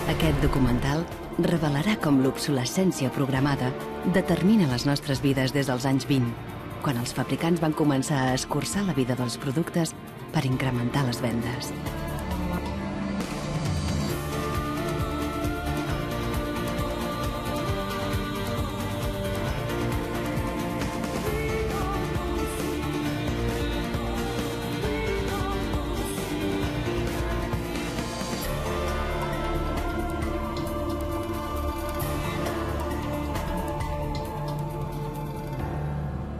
Aquest documental revelarà com l'obsolescència programada determina les nostres vides des dels anys 20, quan els fabricants van començar a escurçar la vida dels productes per incrementar les vendes.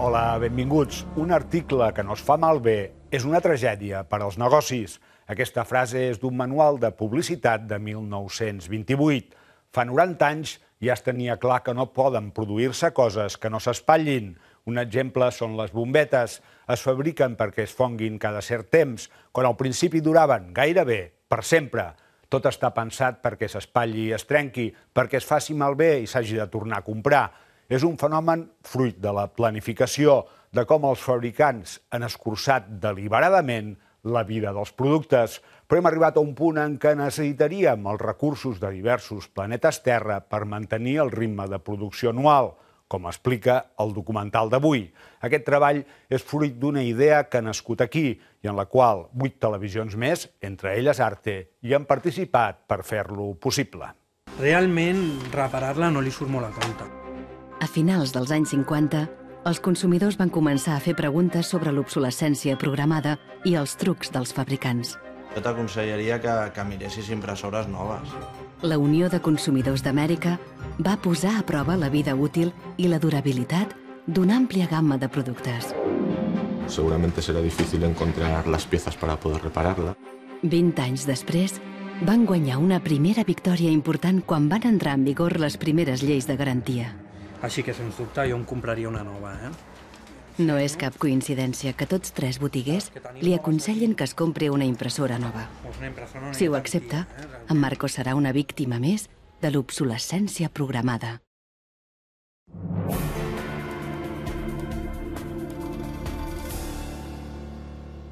Hola, benvinguts. Un article que no es fa malbé és una tragèdia per als negocis. Aquesta frase és d'un manual de publicitat de 1928. Fa 90 anys ja es tenia clar que no poden produir-se coses que no s'espatllin. Un exemple són les bombetes. Es fabriquen perquè es fonguin cada cert temps, quan al principi duraven gairebé per sempre. Tot està pensat perquè s'espatlli i es trenqui, perquè es faci malbé i s'hagi de tornar a comprar. És un fenomen fruit de la planificació, de com els fabricants han escurçat deliberadament la vida dels productes, però hem arribat a un punt en què necessitaríem els recursos de diversos planetes Terra per mantenir el ritme de producció anual, com explica el documental d'avui. Aquest treball és fruit d'una idea que ha nascut aquí i en la qual 8 televisions més, entre elles Arte, hi han participat per fer-lo possible. Realment, reparar-la no li surt molt a compte. A finals dels anys 50, els consumidors van començar a fer preguntes sobre l'obsolescència programada i els trucs dels fabricants. Jo t'aconsellaria que miressis impressores noves. La Unió de Consumidors d'Amèrica va posar a prova la vida útil i la durabilitat d'una àmplia gamma de productes. Seguramente será difícil encontrar las piezas para poder repararla. 20 anys després, van guanyar una primera victòria important quan van entrar en vigor les primeres lleis de garantia. Així que, sens dubte, jo em compraria una nova, No és cap coincidència que tots 3 botiguers li aconsellen que es compri una impressora nova. Si ho accepta, en Marcos serà una víctima més de l'obsolescència programada.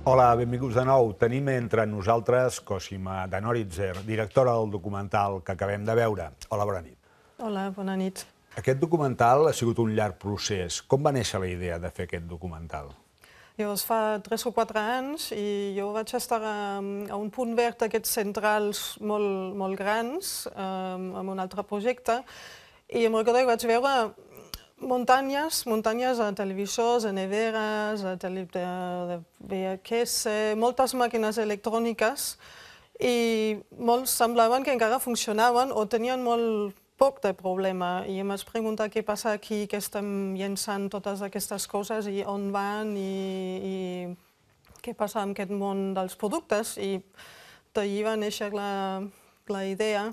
Hola, benvinguts de nou. Tenim entre nosaltres Cosima Danoritzer, directora del documental que acabem de veure. Hola, bona nit. Hola, bona nit. Aquest documental ha sigut un llarg procés. Com va néixer la idea de fer aquest documental? Llavors fa 3 o 4 anys i jo vaig estar a un punt verd d'aquests centrals molt grans, amb un altre projecte, i em recordo que vaig veure muntanyes a televisors, a neveres, a de VHS, moltes màquines electròniques, i molts semblaven que encara funcionaven o tenien molt poc de problema, i em vaig preguntar què passa aquí, que estem llençant totes aquestes coses i on van i què passa amb aquest món dels productes, i d'allí va néixer la idea.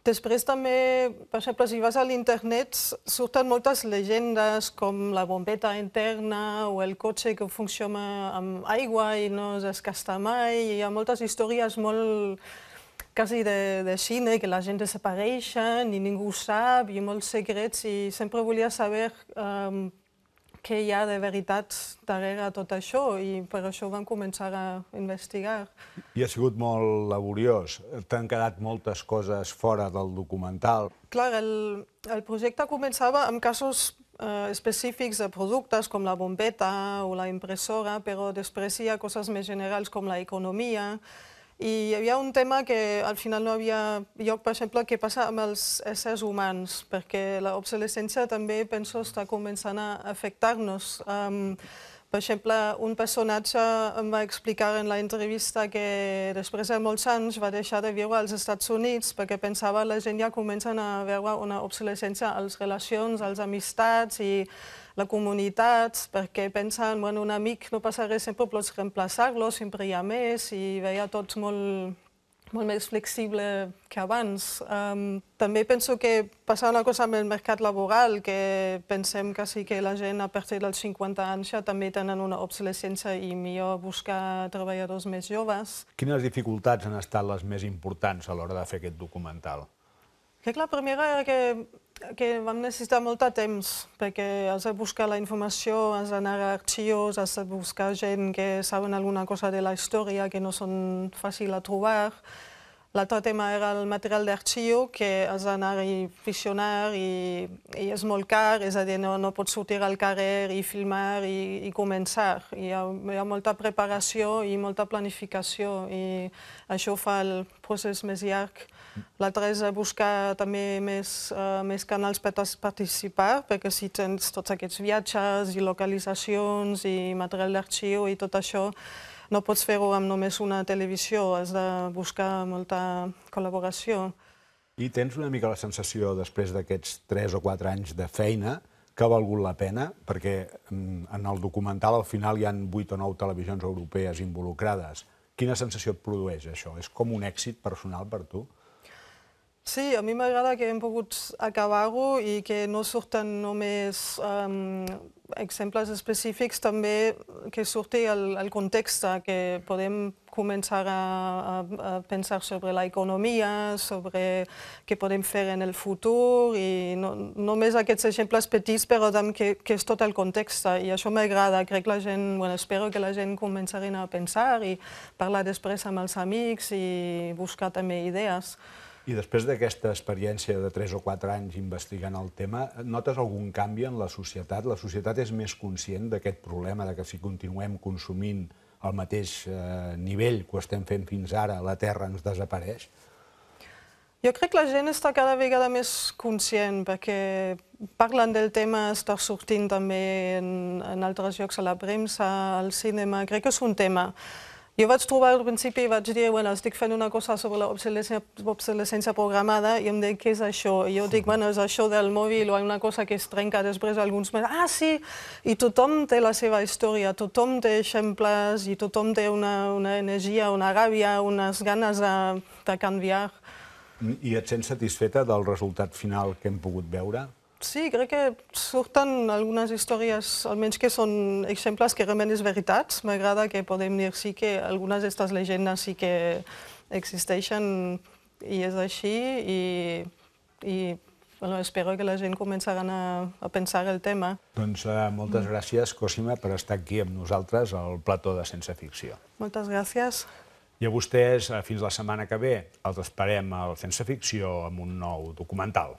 Després també, per exemple, si vas a l'internet, surten moltes llegendes com la bombeta interna o el cotxe que funciona amb aigua i no es desgasta mai. Hi ha moltes històries molt quasi de cine, que la gent desapareixen i ningú ho sap, i molts secrets, i sempre volia saber què hi ha de veritat darrere tot això, i per això vam començar a investigar. I ha sigut molt laboriós. T'han quedat moltes coses fora del documental. Clar, el projecte començava amb casos específics de productes com la bombeta o la impressora, però després hi ha coses més generals com l'economia. I hi havia un tema que al final no havia lloc, per exemple, què passa amb els éssers humans, perquè l'obsolescència també, penso, està començant a afectar-nos. Per exemple, un personatge em va explicar en l'entrevista que després de molts anys va deixar de viure als Estats Units perquè pensava que la gent ja comencen a veure una obsolescència a les relacions, a les amistats i la comunitat, perquè pensen, bueno, un amic no passa res, sempre pots reemplaçar-lo, sempre hi ha més, i veia tot molt més flexible que abans. També penso que passa una cosa amb el mercat laboral, que pensem que sí que la gent a partir dels 50 anys ja també tenen una obsolescència i millor buscar treballadors més joves. Quines dificultats han estat les més importants a l'hora de fer aquest documental? La primera era que vam necessitar molt de temps, perquè has de buscar la informació, has d'anar a arxius, has de buscar gent que saben alguna cosa de la història, que no són fàcils a trobar. L'altre tema era el material d'arxiu, que has d'anar i visionar i és molt car, és a dir, no pots sortir al carrer i filmar i començar. Hi ha molta preparació i molta planificació i això fa el procés més llarg. L'altre és buscar també més canals per participar, perquè si tens tots aquests viatges i localitzacions i material d'arxiu i tot això, no pots fer-ho amb només una televisió, has de buscar molta col·laboració. I tens una mica la sensació, després d'aquests 3 o 4 anys de feina, que ha valgut la pena? Perquè en el documental al final hi ha 8 o 9 televisions europees involucrades. Quina sensació et produeix això? És com un èxit personal per tu? Sí, a mi m'agrada que hem pogut acabar-ho i que no surten només exemples específics, també que surti el context, que podem començar a pensar sobre l'economia, sobre què podem fer en el futur, i no només aquests exemples petits, però també que és tot el context. I això m'agrada. Crec que la gent, espero que la gent començarin a pensar i parlar després amb els amics i buscar també idees. I després d'aquesta experiència de 3 o 4 anys investigant el tema, notes algun canvi en la societat? La societat és més conscient d'aquest problema, que si continuem consumint al mateix nivell que ho estem fent fins ara, la Terra ens desapareix? Jo crec que la gent està cada vegada més conscient, perquè parlen del tema, està sortint també en altres llocs, a la premsa, al cinema. Crec que és un tema. Jo vaig trobar al principi i vaig dir, estic fent una cosa sobre l'obsolescència programada i em dic, què és això? I jo dic, és això del mòbil o una cosa que es trenca després alguns mesos. Ah, sí! I tothom té la seva història, tothom té exemples i tothom té una energia, una ràbia, unes ganes de canviar. I et sents satisfeta del resultat final que hem pogut veure? Sí, crec que surten algunes històries, almenys que són exemples que realment és veritat. M'agrada que podem dir sí que algunes d'aquestes llegendes sí que existeixen i és així i espero que la gent començarà a pensar el tema. Doncs moltes gràcies, Cosima, per estar aquí amb nosaltres al plató de Sense Ficció. Moltes gràcies. I a vostès, fins la setmana que ve, els esperem al Sense Ficció amb un nou documental.